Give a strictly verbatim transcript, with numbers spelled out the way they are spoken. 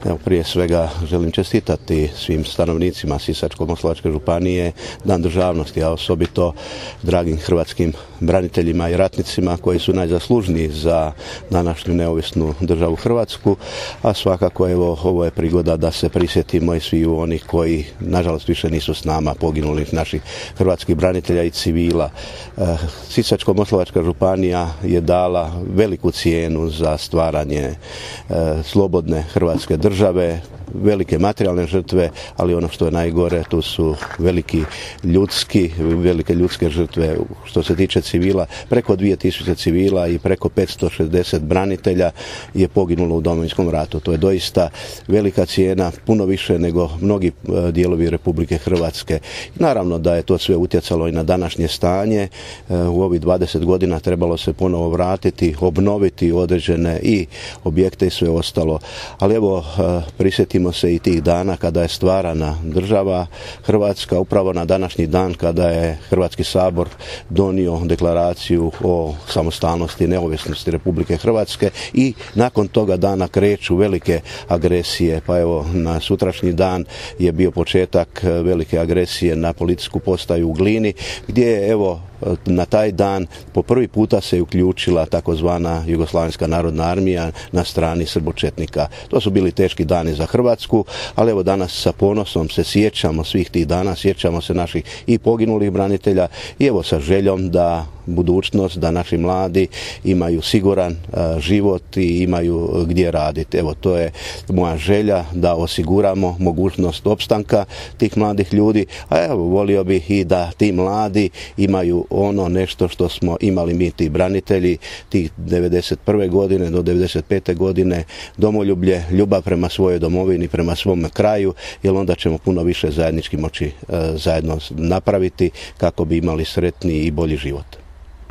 Evo, prije svega želim čestitati svim stanovnicima Sisačko-moslavačke županije Dan državnosti, a osobito dragim hrvatskim braniteljima i ratnicima koji su najzaslužniji za današnju neovisnu državu Hrvatsku, a svakako evo ovo je prigoda da se prisjetimo i svi onih koji nažalost više nisu s nama, poginulih naših hrvatskih branitelja i civila. Sisačko-moslavačka županija je dala veliku cijenu za stvaranje slobodne Hrvatske države, velike materijalne žrtve, ali ono što je najgore, tu su veliki ljudski, velike ljudske žrtve. Što se tiče civila, preko dvije tisuće civila i preko petsto šezdeset branitelja je poginulo u Domovinskom ratu. To je doista velika cijena, puno više nego mnogi dijelovi Republike Hrvatske. Naravno da je to sve utjecalo i na današnje stanje. U ovih dvadeset godina trebalo se ponovo vratiti, obnoviti određene i objekte i sve ostalo. Ali evo, prisjetimo se i tih dana kada je stvarana država Hrvatska, upravo na današnji dan kada je Hrvatski sabor donio deklaraciju o samostalnosti i neovisnosti Republike Hrvatske, i nakon toga dana kreću velike agresije. Pa evo, na sutrašnji dan je bio početak velike agresije na policijsku postaju u Glini, gdje je evo na taj dan po prvi puta se uključila takozvana Jugoslavenska narodna armija na strani srbočetnika. To su bili teški dani za Hrvatsku, ali evo danas sa ponosom se sjećamo svih tih dana, sjećamo se naših i poginulih branitelja i evo sa željom da budućnost, da naši mladi imaju siguran uh, život i imaju gdje raditi. Evo, to je moja želja, da osiguramo mogućnost opstanka tih mladih ljudi, a evo, volio bih i da ti mladi imaju ono nešto što smo imali mi, ti branitelji, tih devedeset prve godine do devedeset pete godine, domoljublje, ljubav prema svojoj domovini, prema svom kraju, jer onda ćemo puno više zajednički moći uh, zajedno napraviti kako bi imali sretniji i bolji život.